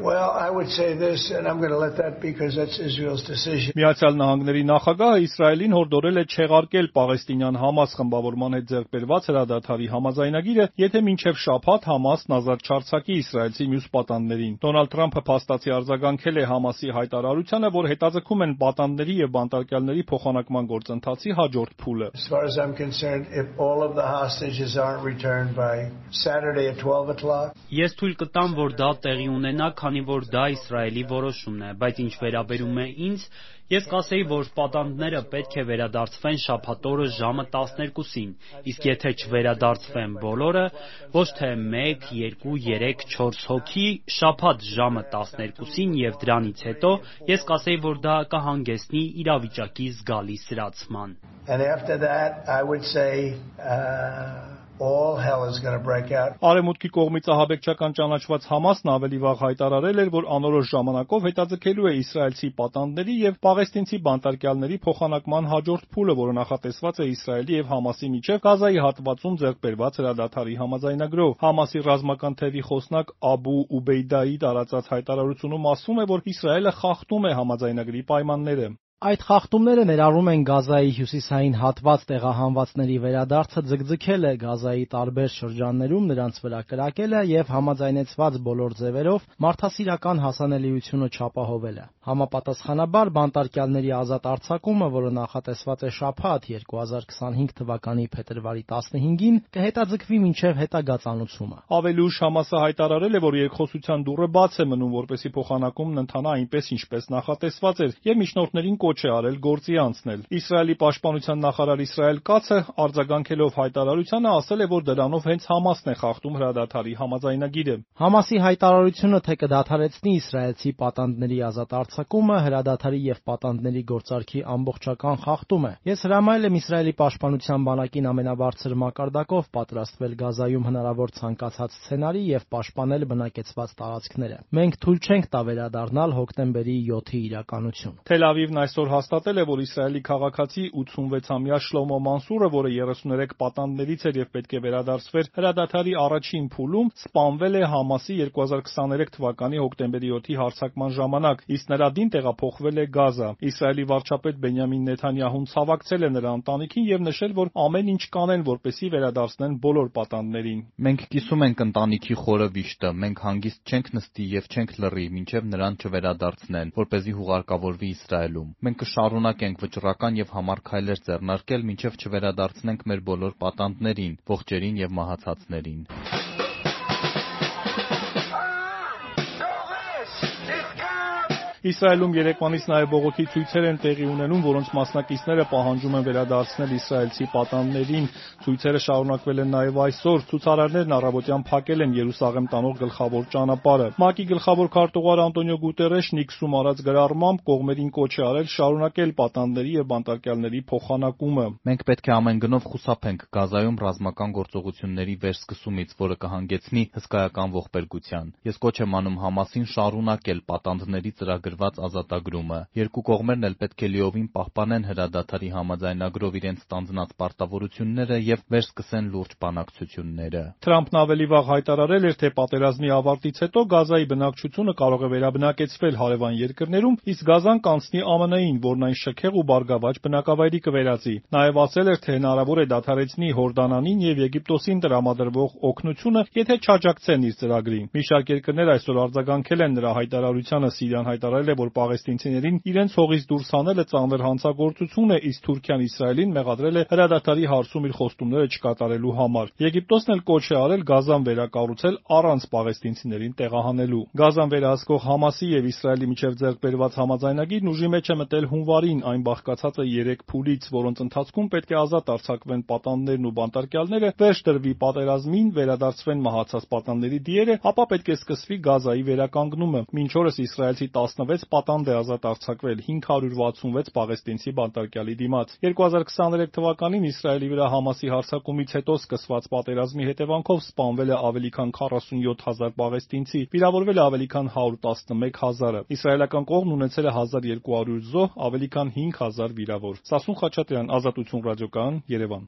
Well, I would say this, and I'm going to let that because that's Israel's decision. Միացյալ Նահանգների նախագահը Իսրայելին հորդորել է չեղարկել պաղեստինյան Համաս խմբավորման հետ ձեռքբերված հրադադարի համաձայնագիրը, եթե մինչև շաբաթ Համասն ազատ չարձակի իսրայելցի մյուս պատանդներին։ Դոնալդ Թրամփը փաստացի արձագանքել է Համասի հայտարարությանը, որ հետաձգում են պատանդների եւ բանտարկյալների փոխանակման գործընթացի հաջորդ փուլը։ As far as I'm concerned, if all of the hostages aren't returned by Saturday at 12 o'clock. Ես թույլ կտամ, որ դա տեղի ունենա, քանի որ դա Իսրայելի որոշումն է, բայց ինչ վերաբերում է ինձ, ես կասեի, որ պատանդները պետք է վերադարձվեն շաբաթօրը ժամը 12-ին, իսկ եթե չվերադարձվեն բոլորը, ոչ թե 1, 2, 3, 4 հոգի, շաբաթ ժամը 12-ին եւ դրանից հետո, ես կասեի, որ դա կհանգեցնի իրավիճակի զգալի սրացման։ And after that, I would say all hell is going to break out. Արևմուտքի կողմից ահաբեկչական ճանաչված Համասն ավելի վաղ հայտարարել էր, որ անորոշ ժամանակով հետաձգելու է իսրայելցի պատանդների եւ պաղեստինցի բանտարկյալների փոխանակման հաջորդ փուլը, որը նախատեսված է Իսրայելի եւ Համասի միջեւ Գազայի հատվածում ձեռքբերված հրադադարի համաձայնագրով։ Համասի ռազմական թևի խոսնակ Աբու Ուբեյդայի տարածած հայտարարությունում ասվում է, որ Իսրայելը խախտում է համաձայնագրի պայմանները։ Այդ խախտումները ներառում են Գազայի հյուսիսային հատված տեղահանվածների վերադարձը ձգձգելը, Գազայի տարբեր շրջաններում նրանց վրա կրակելը եւ համաձայնեցված բոլոր ձևերով մարդասիրական հասանելիությունը չապահովելը։ Համապատասխանաբար բանտարկյալների ազատ արձակումը, որը նախատեսված է շաբաթ 2025 թվականի փետրվարի 15-ին, կհետաձգվի մինչև հետագա ծանուցումը։ Ավելի ուշ Համասը հայտարարել է, որ երկխոսության դուռը բաց է մնում, որպեսզի փոխանակումն ընթանա այնպես, ինչպես նախատեսված էր, եւ միջնորդներին կոչ է արել գործի անցնել։ Իսրայելի պաշտպանության նախարար Իսրայել Կացը արձագանքելով հայտարարությանը ասել է, որ դրանով հենց Համասն է խախտում հրադադարի համաձայնագիրը։ Համասի հայտարարությունը թե կդադարեցնի իսրայելցի պատանդների ազատ արձակումը, հրադադարի եւ պատանդների գործարքի ամբողջական խախտում է։ Ես հրամայել եմ Իսրայելի պաշտպանության բանակին ամենաբարձր մակարդակով պատրաստվել Գազայում հնարավոր ցանկացած սցենարի եւ պաշտպանել բնակեցված տարածքները։ Մենք թույլ չենք տա վերադառնալ հոկտեմբերի 7-ի իրականություն։ Թել Ավիվն այսօր հաստատել է, որ Իսրայելի քաղաքացի 86-ամյա Շլոմո Մանսուրը, որը 33 պատանդներից էր եւ պետք է վերադարձվեր հրադադարի առաջին փուլում, սպանվել է Համասի 2023 թվականի հոկտեմբերի 7-ի հարձակման ժամանակ, իսկ նրա դին տեղափոխվել է Գազա։ Իսրայելի վարչապետ Բենյամին Նեթանյահուն ցավակցել է նրա ընտանիքին եւ նշել, որ ամեն ինչ կանեն, որպեսզի վերադարձնեն բոլոր պատանդներին։ Մենք կիսում ենք ընտանիքի խորը վիշտը, մենք հանգիստ չենք նստի եւ չենք լռի, մինչեւ նրան չվերադարձնեն, որպեսզի հուղարկավորվի Իսրայելում։ Մենք կշարունակենք վճռական եւ համառ քայլեր ձեռնարկել, մինչեւ չվերադարձնենք մեր բոլոր պատանդներին, ողջերին եւ մահացածներին։ Իսրայելում երեկվանից նաև բողոքի ցույցեր են տեղի ունենում, որոնց մասնակիցները պահանջում են վերադարձնել իսրայելցի պատանդներին։ Ցույցերը շարունակվել են նաև այսօր։ Ցուցարարներն առավոտյան փակել են Երուսաղեմ տանող գլխավոր ճանապարհը։ ՄԱԿ-ի գլխավոր քարտուղար Անտոնիո Գուտերեշն X-ում արած գրառմամբ կողմերին կոչ է արել շարունակել պատանդների եւ բանտարկյալների փոխանակումը։ Մենք պետք է ամեն գնով խուսափենք Գազայում ռազմական գործողությունների վերսկսումից, որը կհանգեցնի հսկայական ողբերգության։ Ես կոչ եմ անում Համասին շարունակել պատանդների ծրագրված ազատագրումը։ Երկու կողմերն էլ պետք է լիովին պահպանեն հրադադարի համաձայնագրով իրենց ստանձնած պարտավորությունները եւ վերսկսեն լուրջ բանակցությունները։ Թրամփն ավելի վաղ հայտարարել էր, թե պատերազմի ավարտից հետո Գազայի բնակչությունը կարող է վերաբնակեցվել հարևան երկրներում, իսկ Գազան կանցնի ԱՄՆ-ին, որն այն շքեղ ու բարգավաճ բնակավայրի կվերածի։ Նաև ասել էր, թե հնարավոր է դադարեցնի Հորդանանին եւ Եգիպտոսին տրամադրվող օգնությունը, եթե չաջակցեն իր ծրագրին։ Մի շարք երկրներ այսօր արձագանքել են նրա հայտարարությանը։ Սիրիան հայտարարել է, որ պաղեստինցիներին իրենց հողից դուրս հանելը ծանր հանցագործություն է, իսկ Թուրքիան Իսրայելին մեղադրել է հրադադարի հարցում իր խոստումները չկատարելու համար։ Եգիպտոսն էլ կոչ է արել Գազան վերակառուցել առանց պաղեստինցիներին տեղահանելու։ Գազան վերահսկող Համասի եւ Իսրայելի միջև ձեռքբերված համաձայնագիրն ուժի մեջ է մտել հունվարին, այն բաղկացած է 3 փուլից, որոնց ընթացքում պետք է ազատ արձակվեն պատանդներն ու բանտարկյալները, վերջ դրվի պատերազմին, վերադարձվեն մահացած պատանդների դիերը, ապա պետք է սկսվի Գազայի վերականգնումը։ Մինչ օրս իսրայելցի 16 պատանդ է ազատ արձակվել 566 պաղեստինցի բանտարկյալի դիմաց։ 2023 թվականին Իսրայելի վրա Համասի հարձակումից հետո սկսված պատերազմի հետևանքով սպանվել է ավելի քան 47000 պաղեստինցի, վիրավորվել է ավելի քան 111000-ը։ Իսրայելական կողմն ունեցել է 1200 զոհ, ավելի քան 5000 վիրավոր։ Սասուն Խաչատրյան, Ազատություն ռադիոկայան, Երևան։